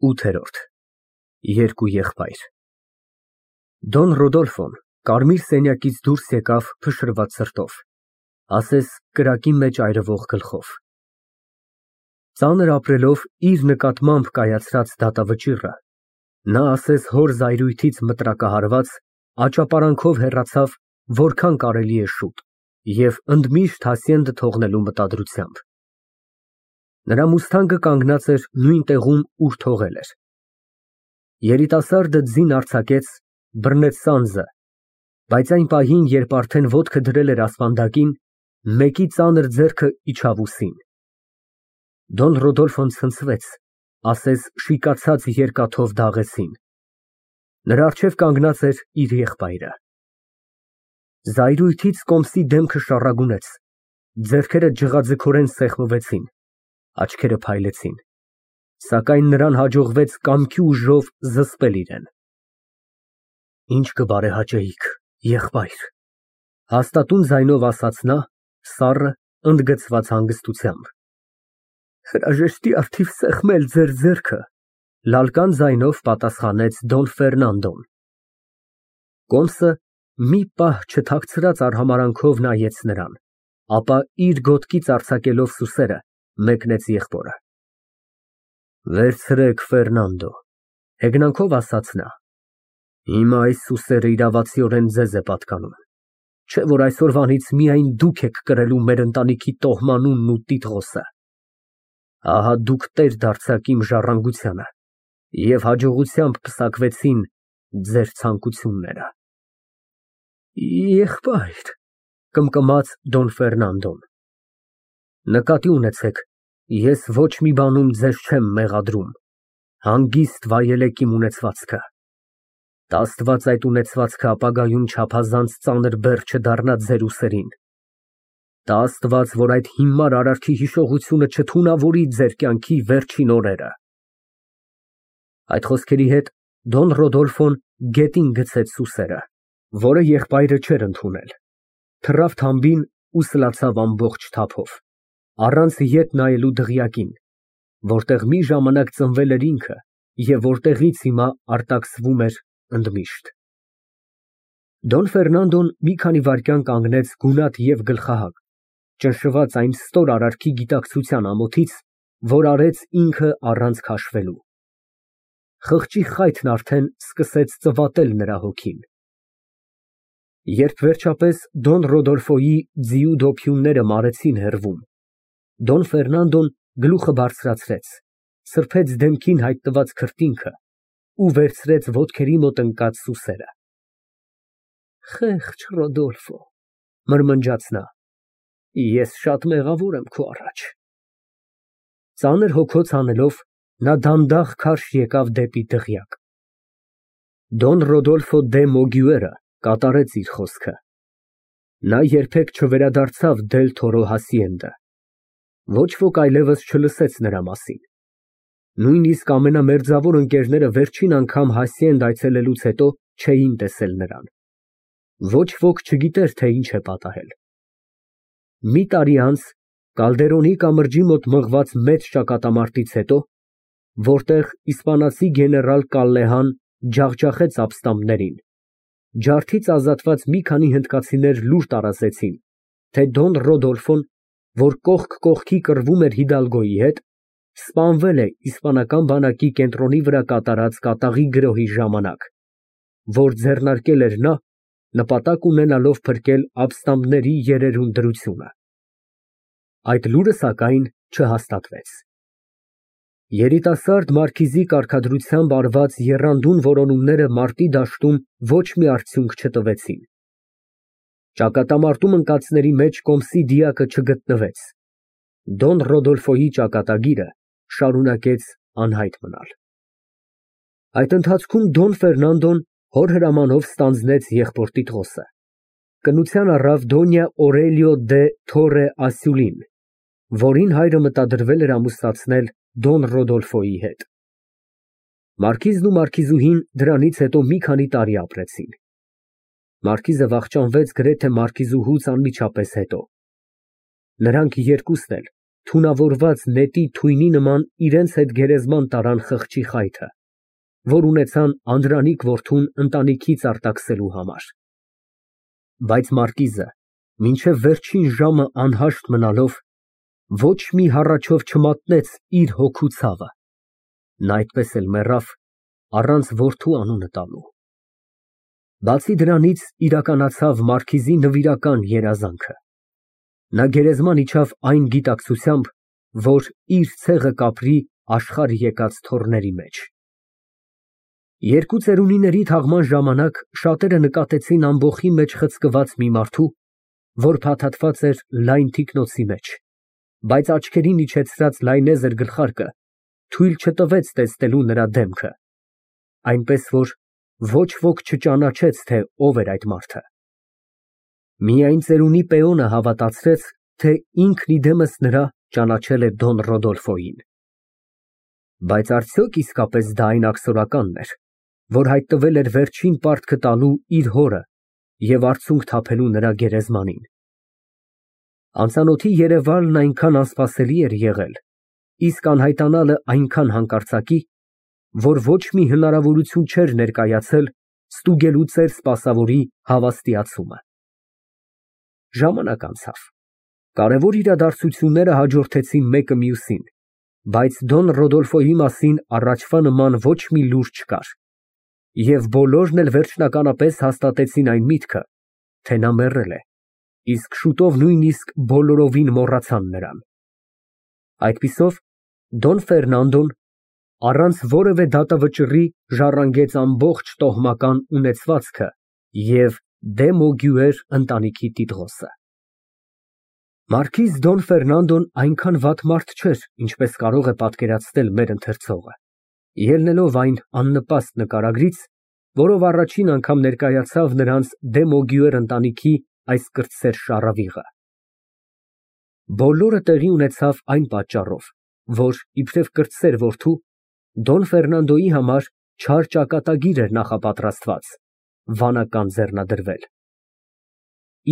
ՈՒԹԵՐՈՐԴ Երկու եղբայր Դոն Ռոդոլֆոն կարմիր սենյակից դուրս եկավ փշրված սրտով, ասես կրակի մեջ այրվող գլխով։ Ծանր ապրելով իր նկատմամբ կայացրած դատավճիռը, նա ասես հոր զայրույթից մտրակահարված, աճապարանքով հեռացավ որքան կարելի է շուտ և ընդմիշտ հասցենդը թողնելու մտադրությամբ։ Նրա մուստանգը կանգնած էր նույն տեղում, ուր թողել էր։ Երիտասարդը ձին արձակեց, բռնեց սանձը, բայց այն պահին, երբ արդեն ոտքը դրել էր ասպանդակին, մեկի ծանր ձեռքը իջավ ուսին։ Դոն Ռոդոլֆոն ցնցվեց, ասես շիկացած երկաթով դաղեցին։ Նրա առջև կանգնած էր իր եղբայրը։ Զայրույթից կոմսի դեմքը շառագունեց, ձեռքերը ջղաձգորեն սեղմվեցին, աչքերը փայլեցին, սակայն նրան հաջողվեց կամքի ուժով զսպել իրեն։ Ինչ կբարեհաճեիք, եղբայր, հաստատուն ձայնով ասաց նա, սառը, ընդգծված հանգստությամբ։ Հրաժեշտի առթիվ սեղմել ձեր ձեռքը, լալկան ձայնով պատասխանեց Դոն Ֆերնանդոն։ Կոմսը մի պահ չթաքցրած արհամարանքով նայեց նրան, ապա իր գոտկից արձակելով սուսերը, մեկնեց եղբորը։ Վերցրեք, Ֆերնանդո, հեգնանքով ասաց նա։ Հիմա այս սուսերը իրավացիորեն ձեզ է պատկանում, չէ՞ որ այսօրվանից միայն դուք եք կրելու մեր ընտանիքի տոհմանունն ու տիտղոսը։ Ահա դուք տեր դարձաք իմ ժառանգությանը և հաջողությամբ պսակվեցին ձեր ցանկությունները։ Եղբայր, կմկմաց Դոն Ֆերնանդոն, նկատի ունեցեք, ես ոչ մի բանում ձեզ չեմ մեղադրում, հանգիստ վայելեք իմ ունեցվածքը։ Տա Աստված այդ ունեցվածքը ապագայում չափազանց ծանր բեռ չդառնա ձեր ուսերին։ Տա Աստված, որ այդ հիմար արարքի հիշողությունը չթունավորի ձեր կյանքի վերջին օրերը։ Այդ խոսքերի հետ Դոն Ռոդոլֆոն գետին գցեց սուսերը, որը եղբայրը չէր ընդունել, թռավ թամբին ու սլացավ ամբողջ թափով, առանց ետ նայելու դղյակին, որտեղ մի ժամանակ ծնվել էր ինքը և որտեղից հիմա արտաքսվում էր ընդմիշտ։ Դոն Ֆերնանդոն մի քանի վայրկյան կանգնեց գունատ և գլխահակ, ճնշված այն ստոր արարքի գիտակցության ամոթից, որ արեց ինքը առանց քաշվելու։ Խղճի խայթն արդեն սկսեց ծվատել նրա հոգին։ Երբ վերջապես Դոն Ռոդոլֆոյի ձիու դոփյունները մարեցին հեռվում, Դոն Ֆերնանդոն գլուխը բարձրացրեց, սրբեց դեմքին հայտնված քրտինքը ու վերցրեց ոտքերի մոտ ընկած սուսերը։ Խեղճ Ռոդոլֆո, մրմնջաց նա, ես շատ մեղավոր եմ քո առաջ։ Ծանր հոգոց հանելով, նա դանդաղ քարշ եկավ դեպի դղյակ։ Դոն Ռոդոլֆո դե Մոգյուերը կատարեց իր խոսքը։ Նա երբեք չվերադարձավ Դել Թորո հասիենդը։ Ոչ ոք այլևս չլսեց նրա մասին։ Նույնիսկ ամենամերձավոր ընկերները վերջին անգամ հասիենդ այցելելուց հետո չէին տեսել նրան։ Ոչ ոք չգիտեր, թե ինչ է պատահել։ Մի տարի անց Կալդերոնի կամրջի մոտ մղված մեծ ճակատամարտից հետո, որտեղ իսպանացի գեներալ Կալլեհան ջախջախեց ապստամբներին, ջարդից ազատված մի քանի հնդկացիներ լուր տարածեցին, թե Դոն Ռոդոլֆոն, որ կողք կողքի կռվում էր Հիդալգոյի հետ, սպանվել է իսպանական բանակի կենտրոնի վրա կատարած կատաղի գրոհի ժամանակ, որ ձեռնարկել էր նա, նպատակ ունենալով փրկել ապստամբների երերուն դրությունը։ Այդ լուրը, սակայն, չհաստատվեց։ Երիտասարդ մարքիզի կարգադրությամբ արված եռանդուն որոնումները մարտի դաշտում ոչ մի արդյունք չտվեցին։ Ճակատամարտում ընկածների մեջ կոմսի դիակը չգտնվեց։ Դոն Ռոդոլֆոյի ճակատագիրը շարունակեց անհայտ մնալ։ Այդ ընթացքում Դոն Ֆերնանդոն հոր հրամանով ստանձնեց եղբոր տիտղոսը, կնության առավ Դոնյա Օրելիո դե Թորե Ասյուլին, որին հայրը մտադրվել էր ամուսնացնել Դոն Ռոդոլֆոյի հետ։ Մարքիզն ու մարքիզուհին դրանից հետո մի քանի տարի ապրեցին։ Մարքիզը վախճանվեց գրեթե մարքիզուհուց անմիջապես հետո։ Նրանք երկուսն էլ, թունավորված նետի թույնի նման իրենց հետ գերեզման տարան խղճի խայթը, որ ունեցան Անդրանիկ որդուն ընտանիքից արտաքսելու համար։ Բայց մարկիզը մինչև վերջին ժամը անհաշտ մնալով ոչ մի հառաչով չմատնեց իր հոգու ցավը, նա այդպես էլ մեռավ առանց որդու անունը տալու։ Բացի դրանից իրականացավ մարքիզի նվիրական երազանքը։ Նա գերեզման իջավ այն գիտակցությամբ, որ իր ցեղը կապրի աշխարհ եկած թոռների մեջ։ Երկու ծերունիների թաղման ժամանակ շատերը նկատեցին ամբոխի մեջ խցկված մի մարդու, որ փաթաթված էր լայն թիկնոցի մեջ, բայց աչքերին իջեցրած լայնեզր գլխարկը թույլ չտվեց տեսնելու նրա դեմքը, այնպես որ ոչ ոք չճանաչեց, թե ով էր այդ մարդը։ Միայն ծերունի Պեոնը հավատացրեց, թե ինքն իդեմս նրա ճանաչել է Դոն Ռոդոլֆոյին։ Բայց արդյոք իսկապես դա այն աքսորականն էր, որ հայտնվել էր վերջին պարտքը տալու իր հորը և արցունք թափելու նրա գերեզմանին։ Անծանոթի երևալն այնքան անսպասելի էր եղել, իսկ անհայտանալը այնքան հանկարծակի, որ ոչ մի հնարավորություն չէր ներկայացել ստուգելու ծեր սպասավորի հավաստիացումը։ Ժամանակ անցավ։ Կարևոր իրադարձությունները հաջորդեցին մեկը մյուսին, բայց Դոն Ռոդոլֆոյի մասին առաջվա նման ոչ մի լուր չկար, և բոլորն էլ վերջնականապես հաստատեցին այն միտքը, թե նա մեռել է, իսկ շուտով նույնիսկ բոլորովին մոռացան նրան։ Այդպիսով Դոն Ֆերնանդոն առանց որևէ դատավճռի ժառանգեց ամբողջ տոհմական ունեցվածքը և դե Մոգյուեր ընտանիքի տիտղոսը։ Մարքիզ Դոն Ֆերնանդոն այնքան վատ մարդ չէր, ինչպես կարող է պատկերացնել մեր ընթերցողը, ելնելով այն աննպաստ նկարագրից, որով առաջին անգամ ներկայացավ նրանց դե Մոգյուեր ընտանիքի այս կրտսեր շառավիղը։ Բոլորը տեղի ունեցավ այն պատճառով, որ իբրև կրտսեր որդու Դոն Ֆերնանդոյի համար չար ճակատագիր էր նախապատրաստված, վանական ձեռնադրվել։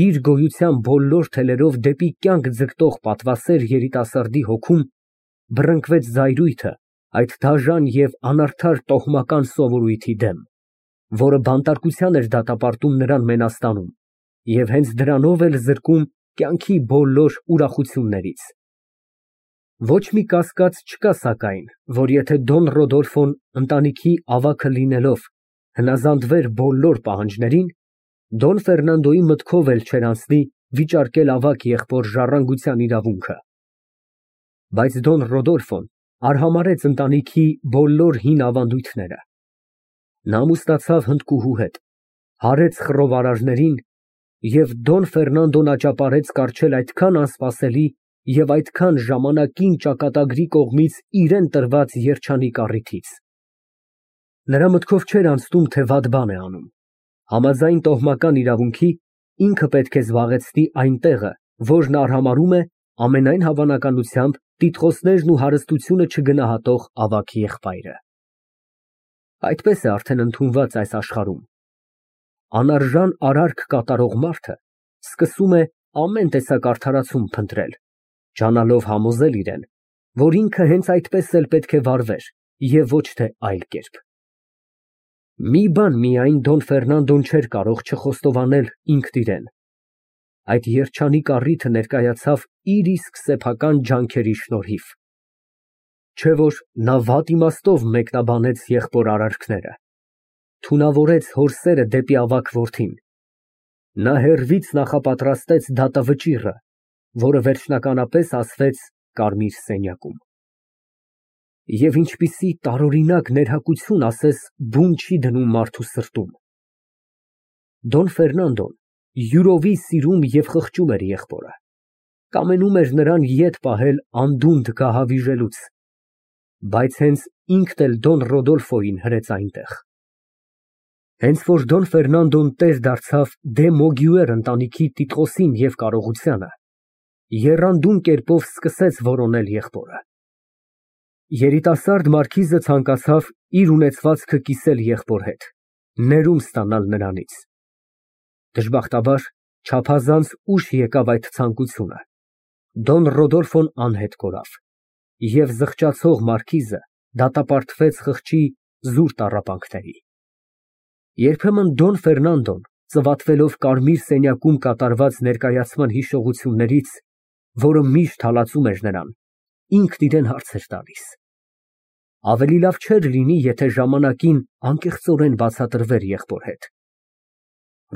Իր գոյության բոլոր թելերով դեպի կյանք ձգտող պատվասեր երիտասարդի հոգում բռնկվեց զայրույթը այդ դաժան և անարդար տոհմական սովորույթի դեմ, որը բանտարկության էր դատապարտում նրան մենաստանում և հենց դրանով էլ զրկում կյանքի բոլոր ուրախություններից։ Ոչ մի կասկած չկա սակայն, որ եթե Դոն Ռոդոլֆոն ընտանիքի ավագը լինելով հնազանդվեր բոլոր պահանջներին, Դոն Ֆերնանդոյի մտքով էլ չէր անցնի վիճարկել ավագ եղբոր ժառանգության իրավունքը։ Բայց Դոն Ռոդոլֆոն արհամարհեց ընտանիքի բոլոր հին ավանդույթները։ Նա ամուսնացավ հնդկուհու հետ, հարեց խռովարարներին և Դոն Ֆերնանդոն աճապարեց կառչել այդքան անսպասելի և այդքան ժամանակին ճակատագրի կողմից իրան տրված երջանիկ առիթից։ Նրա մտքով չէր անցնում, թե վատ բան է անում։ Համաձայն տոհմական իրավունքի ինքը պետք է զբաղեցնի այն տեղը, որն արհամարհում է ամենայն հավանականությամբ տիտղոսներն ու հարստությունը չգնահատող ավագ եղբայրը։ Այդպես է արդեն ընդունված այս աշխարհում։ Անարժան արարք կատարող մարդը սկսում է ամեն տեսակ արդարացում փնտրել, ջանալով համոզել իրեն, որ ինքը հենց այդպես էլ պետք է վարվեր և ոչ թե այլ կերպ։ Մի բան միայն Դոն Ֆերնանդոն չէր կարող չխոստովանել ինքն իրեն. այդ երջանիկ առիթը ներկայացավ իր իսկ սեփական ջանքերի շնորհիվ։ Չէ որ նա վատ իմաստով մեկնաբանեց եղբոր արարքները, թունավորեց հոր սերը դեպի ավագ որդին։ Նա հեռվից նախապատրաստեց դատավճիռը, որը վերջնականապես ասվեց կարմիր սենյակում։ Եվ ինչպիսի տարօրինակ ներհակություն ասես բուն չի դնում մարդու սրտում։ Դոն Ֆերնանդոն յուրովի սիրում և խղճում էր եղբորը, կամենում էր նրան ետ պահել անդունդը գահավիժելուց, բայց հենց ինքն էլ Դոն Ռոդոլֆոյին հրեց այնտեղ։ Հենց որ Դոն Ֆերնանդոն տեր դարձավ դե Մոգյուեր ընտանիքի տիտղոսին և կարողությանը, եռանդուն կերպով սկսեց որոնել եղբորը։ Երիտասարդ մարքիզը ցանկացավ իր ունեցվածքը կիսել եղբոր հետ, ներում ստանալ նրանից։ Դժբախտաբար չափազանց ուշ եկավ այդ ցանկությունը, Դոն Ռոդոլֆոն անհետ կորավ, և զղջացող մարքիզը դատապարտվեց խղճի զուր տառապանքների։ Երբեմն Դոն Ֆերնանդոն, ծվատվելով կարմիր սենյակում կատարված ներկայացման հիշողություններից, որը միշտ հալածում էր նրան, ինքն իրան հարց էր տալիս. ավելի լավ չէր լինի, եթե ժամանակին անկեղծորեն բացատրվեր եղբոր հետ։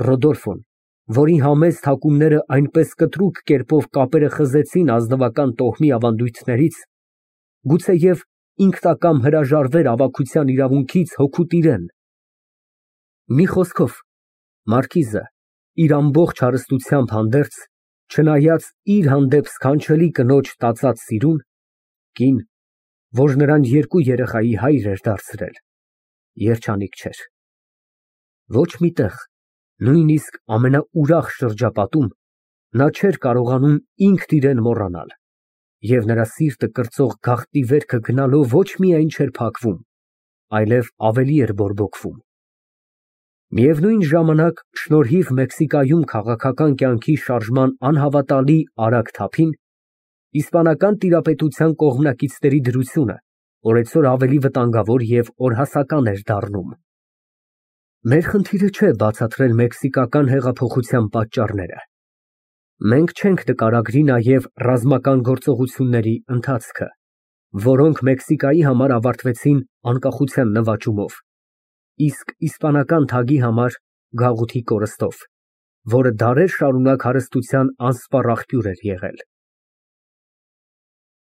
Ռոդոլֆոն, որի համեստ հակումները այնպես կտրուկ կերպով կապերը խզեցին ազնվական տոհմի ավանդույթներից, գուցեև ինքնակամ հրաժարվեր ավագության իրավունքից հոգուտ իրան։ Մի խոսքով, մարքիզը իր ամբողջ հարստությամբ հանդերձ, չնայած իր հանդեպ սքանչելի կնոջ տածած սիրուն, կին, որ նրան երկու երեխայի հայր էր դարձրել, երջանիկ չէր։ Ոչ մի տեղ, նույնիսկ ամենաուրախ շրջապատում, նա չէր կարողանում ինքն իրան մոռանալ, և նրա սիրտը կրծող գաղտնի վերքը գնալով ոչ միայն չէր փակվում, այլև ավելի էր բորբոքվում։ Միևնույն ժամանակ, շնորհիվ Մեքսիկայում քաղաքական կյանքի շարժման անհավատալի արագ թափին, իսպանական տիրապետության կողմնակիցների դրությունը օրեցօր ավելի վտանգավոր և օրհասական էր դառնում։ Մեր խնդիրը չէ բացատրել մեքսիկական հեղափոխության պատճառները։ Մենք չենք նկարագրի նաև ռազմական գործողությունների ընթացքը, որոնք Մեքսիկայի համար ավարտվեցին անկախության նվաճումով, իսկ իսպանական թագի համար գաղութի կորստով, որը դարեր շարունակ հարստության անսպառ աղբյուր էր եղել։